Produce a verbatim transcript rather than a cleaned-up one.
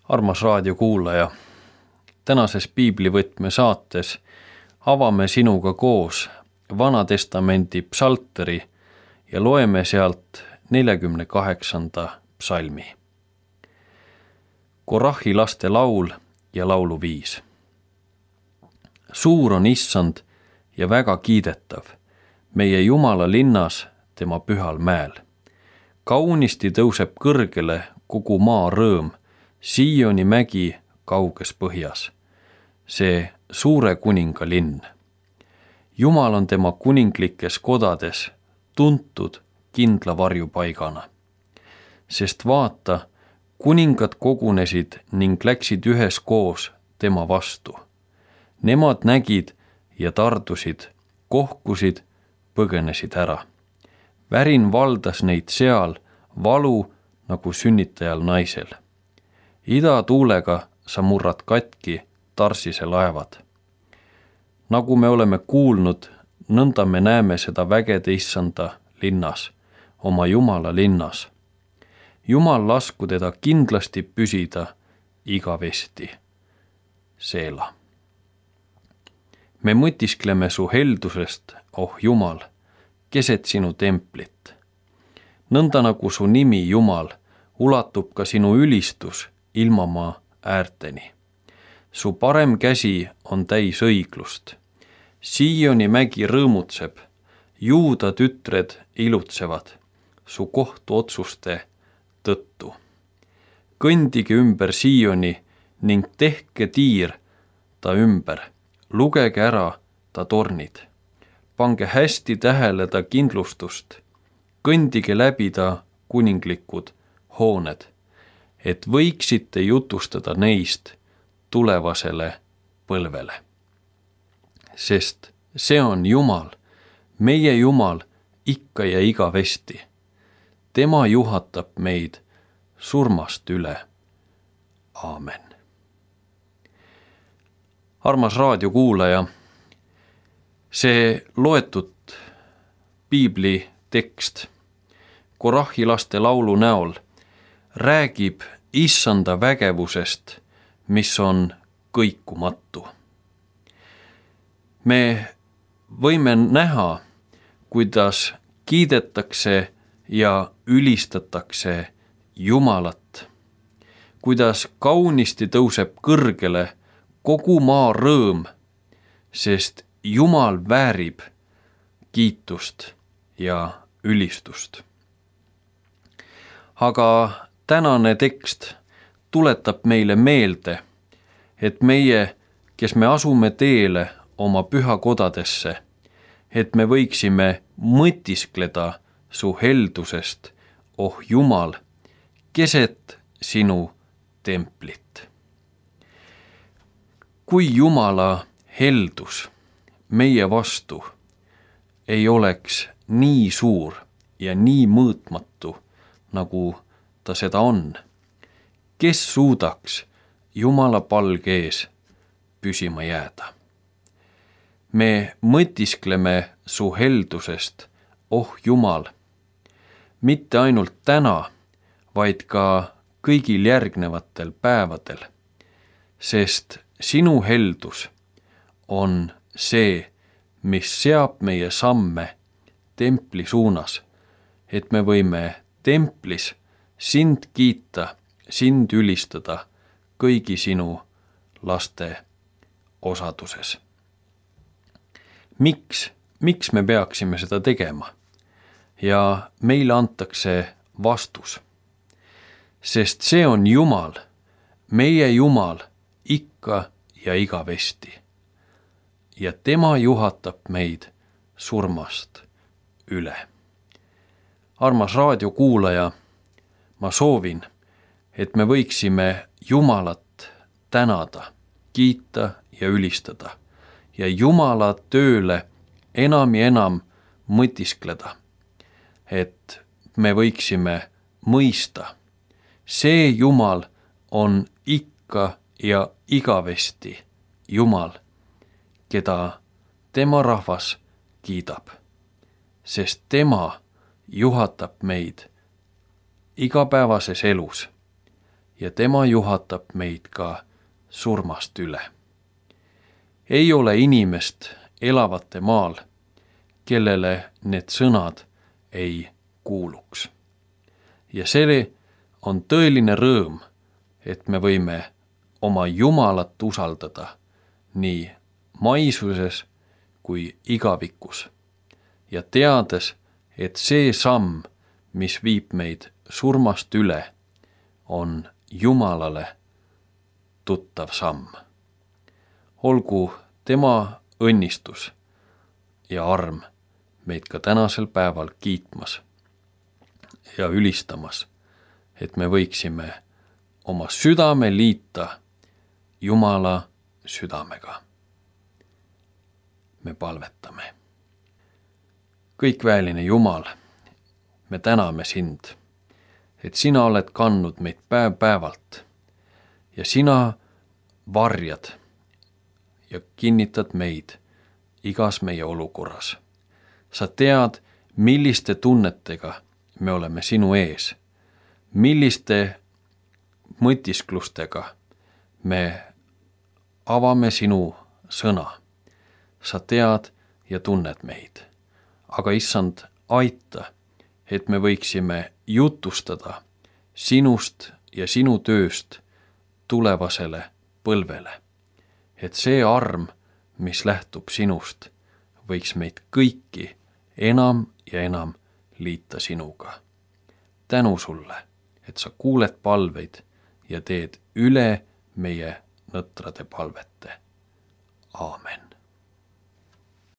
Armas raadiokuulaja, tänases piiblivõtme saates avame sinuga koos Vana Testamendi psalteri ja loeme sealt neljakümne kaheksanda psalmi. Korahi laste laul ja lauluviis. Suur on Issand ja väga kiidetav, meie Jumala linnas tema pühal mäel. Kaunisti tõuseb kõrgele kogu maa rõõm, Sioni mägi kauges põhjas, see suure kuninga linn. Jumal on tema kuninglikes kodades tuntud kindla varjupaigana. Sest vaata, kuningad kogunesid ning läksid üheskoos tema vastu. Nemad nägid ja tardusid, kohkusid, põgenesid ära. Värin valdas neid seal, valu nagu sünnitajal naisel. Idatuulega sa murrad katki Tarsise laevad. Nagu me oleme kuulnud, nõnda me näeme seda vägede Issanda linnas, oma Jumala linnas. Jumal lasku teda kindlasti püsida igavesti. Seela. Me mõtiskleme su heldusest, oh Jumal, keset sinu templit. Nõnda nagu su nimi Jumal, ulatub ka sinu ülistus ilmamaa äärteni. Su parem käsi on täis õiglust. Sioni mägi rõõmutseb, Juuda tütred ilutsevad su kohtuotsuste tõttu. Kõndige ümber Sioni ning tehke tiir ta ümber, lugege ära ta tornid. Pange hästi tähele ta kindlustust, kõndige läbi ta kuninglikud hooned, et võiksite jutustada neist tulevasele põlvele. Sest see on Jumal, meie Jumal ikka ja igavesti. Tema juhatab meid surmast üle. Aamen. Armas raadiokuulaja, see loetud piibli tekst Korahi laste laulu näol räägib Issanda vägevusest, mis on kõikumatu. Me võime näha, kuidas kiidetakse ja ülistatakse Jumalat, kuidas kaunisti tõuseb kõrgele kogu maa rõõm, sest Jumal väärib kiitust ja ülistust. Aga tänane tekst tuletab meile meelde, et meie, kes me asume teele oma pühakodadesse, et me võiksime mõtiskleda su heldusest, oh Jumal, keset sinu templit. Kui Jumala heldus meie vastu ei oleks nii suur ja nii mõõtmatu, nagu ta seda on, kes suudaks Jumala palge ees püsima jääda? Me mõtiskleme su heldusest, oh Jumal, mitte ainult täna, vaid ka kõigil järgnevatel päevadel, sest sinu heldus on see, mis seab meie samme templi suunas, et me võime templis sind kiita, sind ülistada kõigi sinu laste osaduses. Miks, miks me peaksime seda tegema? Ja meile antakse vastus. Sest see on Jumal, meie Jumal ikka ja igavesti. Ja tema juhatab meid surmast üle. Armas raadiokuulaja, ma soovin, et me võiksime Jumalat tänada, kiita ja ülistada ja Jumala tööle enam ja enam mõtiskleda, et me võiksime mõista. See Jumal on ikka ja igavesti Jumal, keda tema rahvas kiidab, sest tema juhatab meid igapäevases elus ja tema juhatab meid ka surmast üle. Ei ole inimest elavate maal, kellele need sõnad ei kuuluks. Ja see on tõeline rõõm, et me võime oma Jumalat usaldada nii maisuses kui igavikus ja teades, et see samm, mis viib meid surmast üle, on Jumalale tuttav samm. Olgu tema õnnistus ja arm meid ka tänasel päeval kiitmas ja ülistamas, et me võiksime oma südame liita Jumala südamega. Me palvetame. Kõikväeline Jumal, me täname sind, et sina oled kandnud meid päev päevalt ja sina varjad ja kinnitad meid igas meie olukorras. Sa tead, milliste tunnetega me oleme sinu ees, milliste mõtisklustega me avame sinu sõna. Sa tead ja tunned meid, aga issand, aita, et me võiksime jutustada sinust ja sinu tööst tulevasele põlvele. Et see arm, mis lähtub sinust, võiks meid kõiki enam ja enam liita sinuga. Tänu sulle, et sa kuuled palveid ja teed üle meie nõtrade palvete. Aamen.